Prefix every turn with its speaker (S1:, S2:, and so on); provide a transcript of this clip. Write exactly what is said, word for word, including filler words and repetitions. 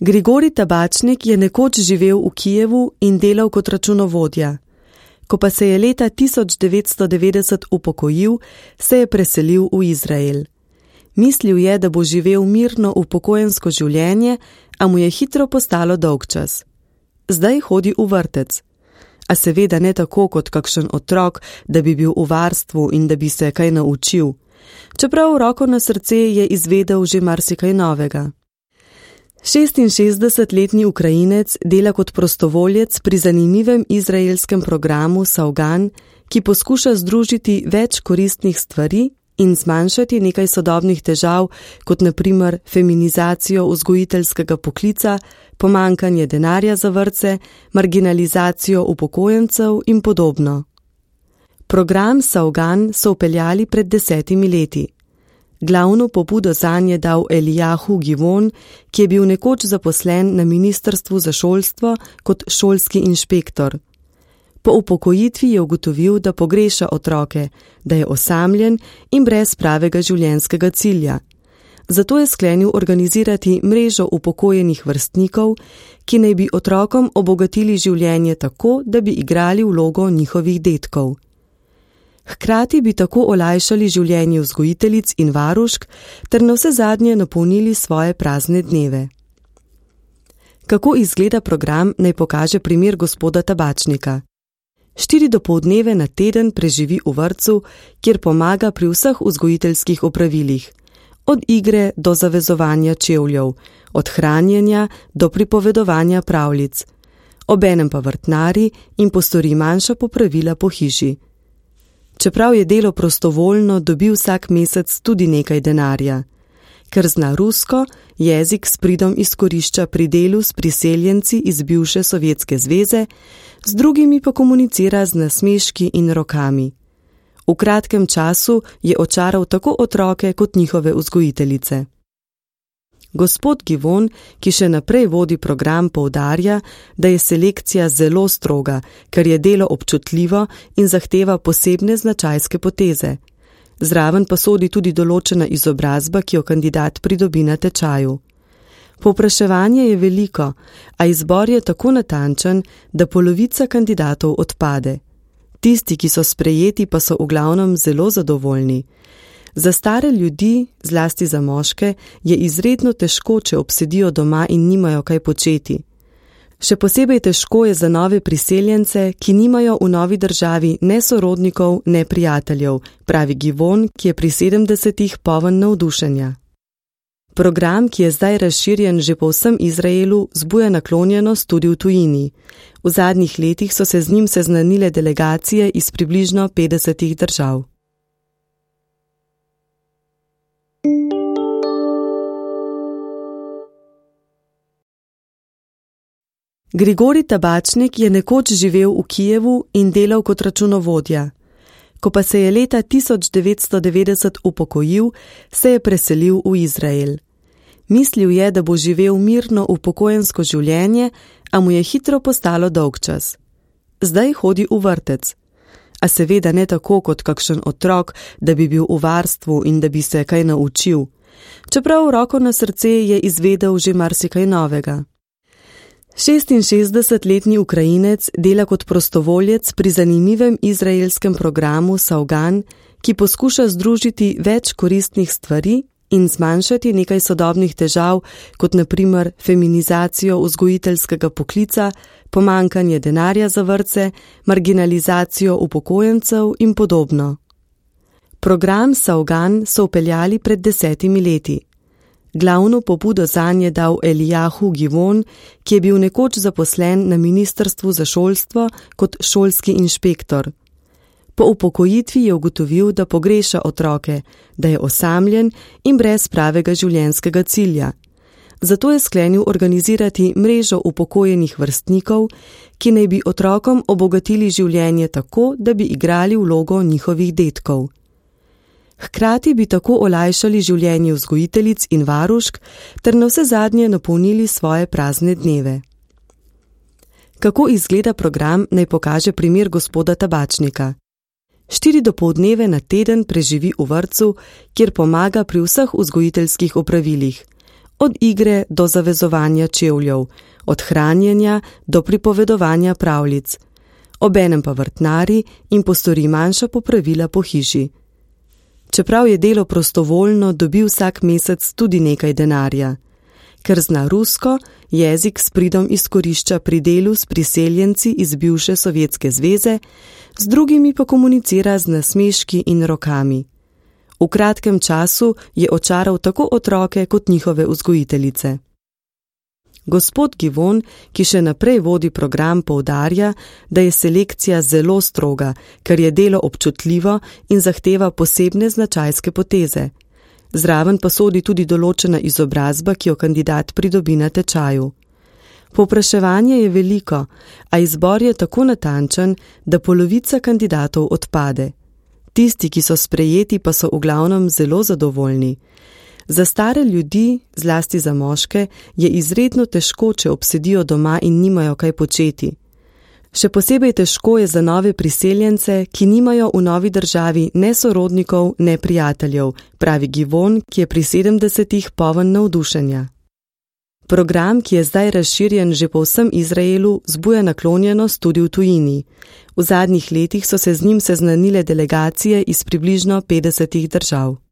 S1: Grigorij Tabačnik je nekoč živel v Kijevu in delal kot računovodja. Ko pa se je leta tisoč devetsto devetdeset upokojil, se je preselil v Izrael. Mislil je, da bo živel mirno upokojensko življenje, a mu je hitro postalo dolgčas. Zdaj hodi v vrtec. A seveda ne tako kot kakšen otrok, da bi bil v varstvu in da bi se kaj naučil. Čeprav roko na srce je izvedel že marsikaj novega. šestinšestdesetletni Ukrajinec dela kot prostovoljec pri zanimivem izraelskem programu Savgan, ki poskuša združiti več koristnih stvari in zmanjšati nekaj sodobnih težav, kot na primer feminizacijo vzgojiteljskega poklica, pomanjkanje denarja za vrtce, marginalizacijo upokojencev in podobno. Program Savgan so vpeljali pred desetimi leti. Glavno pobudo zanj je dal Elijahu Givon, ki je bil nekoč zaposlen na Ministrstvu za šolstvo kot šolski inšpektor. Po upokojitvi je ugotovil, da pogreša otroke, da je osamljen in brez pravega življenjskega cilja. Zato je sklenil organizirati mrežo upokojenih vrstnikov, ki naj bi otrokom obogatili življenje tako, da bi igrali vlogo njihovih dedkov. Hkrati bi tako olajšali življenje vzgojiteljic in varušk ter navsezadnje napolnili svoje prazne dneve. Kako izgleda program, naj pokaže primer gospoda Tabačnika. Štiri dopoldneve na teden preživi v vrtcu, kjer pomaga pri vseh vzgojiteljskih opravilih, od igre do zavezovanja čevljev, od hranjenja do pripovedovanja pravljic, obenem pa vrtnari in postori manjša popravila po hiši. Čeprav je delo prostovoljno, dobi vsak mesec tudi nekaj denarja. Ker zna rusko, jezik s pridom izkorišča pri delu s priseljenci iz bivše Sovjetske zveze, z drugimi pa komunicira z nasmeški in rokami. V kratkem času je očaral tako otroke kot njihove vzgojiteljice. Gospod Givon, ki še naprej vodi program, poudarja, da je selekcija zelo stroga, ker je delo občutljivo in zahteva posebne značajske poteze. Zraven pa sodi tudi določena izobrazba, ki jo kandidat pridobi na tečaju. Povpraševanje je veliko, a izbor je tako natančen, da polovica kandidatov odpade. Tisti, ki so sprejeti, pa so v glavnem zelo zadovoljni. Za stare ljudi, zlasti za moške, je izredno težko, če obsedijo doma in nimajo kaj početi. Še posebej težko je za nove priseljence, ki nimajo v novi državi ne sorodnikov, ne prijateljev, pravi Givon, ki je pri sedemdesetih poln navdušenja. Program, ki je zdaj razširjen že po vsem Izraelu, zbuja naklonjenost tudi v tujini. V zadnjih letih so se z njim seznanile delegacije iz približno petdesetih držav. Grigorij Tabačnik je nekoč živel v Kijevu in delal kot računovodja. Ko pa se je leta tisoč devetsto devetdeset upokojil, se je preselil v Izrael. Mislil je, da bo živel mirno upokojensko življenje, a mu je hitro postalo dolgčas. Zdaj hodi v vrtec. A seveda ne tako kot kakšen otrok, da bi bil v varstvu in da bi se kaj naučil. Čeprav roko na srce je izvedel že marsikaj novega. šestinšestdesetletni Ukrajinec dela kot prostovoljec pri zanimivem izraelskem programu Savgan, ki poskuša združiti več koristnih stvari in zmanjšati nekaj sodobnih težav, kot na primer feminizacijo vzgojiteljskega poklica, pomanjkanje denarja za vrtce, marginalizacijo upokojencev in podobno. Program Savgan so vpeljali pred desetimi leti. Glavno pobudo zanj je dal Elijahu Givon, ki je bil nekoč zaposlen na Ministrstvu za šolstvo kot šolski inšpektor. Po upokojitvi je ugotovil, da pogreša otroke, da je osamljen in brez pravega življenjskega cilja. Zato je sklenil organizirati mrežo upokojenih vrstnikov, ki naj bi otrokom obogatili življenje tako, da bi igrali vlogo njihovih dedkov. Hkrati bi tako olajšali življenje vzgojiteljic in varušk ter navsezadnje napolnili svoje prazne dneve. Kako izgleda program, naj pokaže primer gospoda Tabačnika. Štiri dopoldneve na teden preživi v vrtcu, kjer pomaga pri vseh vzgojiteljskih opravilih, od igre do zavezovanja čevljev, od hranjenja do pripovedovanja pravljic. Obenem pa vrtnari in postori manjša popravila po hiši. Čeprav je delo prostovoljno, dobi vsak mesec tudi nekaj denarja. Ker zna rusko, jezik s pridom izkorišča pri delu s priseljenci iz bivše Sovjetske zveze, z drugimi pa komunicira z nasmeški in rokami. V kratkem času je očaral tako otroke kot njihove vzgojiteljice. Gospod Givon, ki še naprej vodi program, poudarja, da je selekcija zelo stroga, ker je delo občutljivo in zahteva posebne značajske poteze. Zraven pa sodi tudi določena izobrazba, ki jo kandidat pridobi na tečaju. Povpraševanje je veliko, a izbor je tako natančen, da polovica kandidatov odpade. Tisti, ki so sprejeti, pa so v glavnem zelo zadovoljni. Za stare ljudi, zlasti za moške, je izredno težko, če obsedijo doma in nimajo kaj početi. Še posebej težko je za nove priseljence, ki nimajo v novi državi ne sorodnikov, ne prijateljev, pravi Givon, ki je pri sedemdesetih poln navdušenja. Program, ki je zdaj razširjen že po vsem Izraelu, zbuja naklonjenost tudi v tujini. V zadnjih letih so se z njim seznanile delegacije iz približno petdesetih držav.